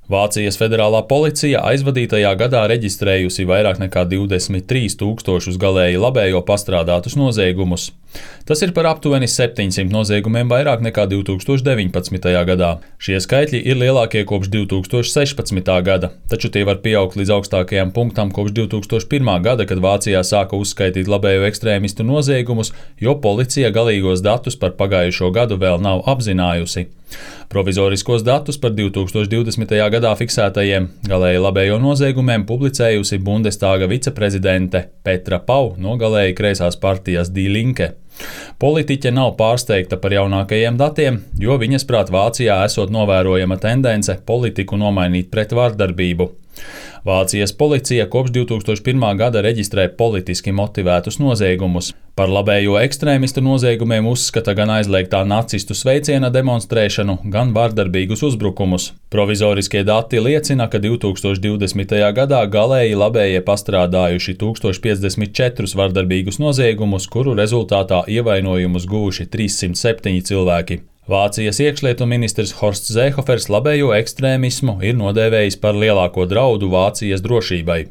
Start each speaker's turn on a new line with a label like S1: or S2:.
S1: Vācijas federālā policija aizvadītajā gadā reģistrējusi vairāk nekā 23 000 galēji labējo pastrādātus noziegumus. Tas ir par aptuveni 700 noziegumiem vairāk nekā 2019. gadā. Šie skaitļi ir lielākie kopš 2016. gada, taču tie var pieaugt līdz augstākajam punktam kopš 2001. gada, kad Vācijā sāka uzskaitīt labējo ekstrēmistu noziegumus, jo policija galīgos datus par pagājušo gadu vēl nav apzinājusi. Provizoriskos datus par 2020. gadā fiksētajiem galēji labējo noziegumiem publicējusi Bundestāga viceprezidente Petra Pau no galēji kreisās partijas Die Linke. Politiķe nav pārsteigta par jaunākajiem datiem, jo viņas prāt Vācijā esot novērojama tendence politiku nomainīt pret vardarbību. Vācijas policija kopš 2001. gada reģistrē politiski motivētus noziegumus. Par labējo ekstrēmistu noziegumiem uzskata gan aizliegtā nacistu sveiciena demonstrēšanu, gan vardarbīgus uzbrukumus. Provizoriskie dati liecina, ka 2020. gadā galēji labējie pastrādājuši 1054 vardarbīgus noziegumus, kuru rezultātā ievainojumus guvuši 307 cilvēki. Vācijas iekšlietu ministrs Horsts Zēhofers labējo ekstrēmismu ir nodēvējis par lielāko draudu Vācijas drošībai.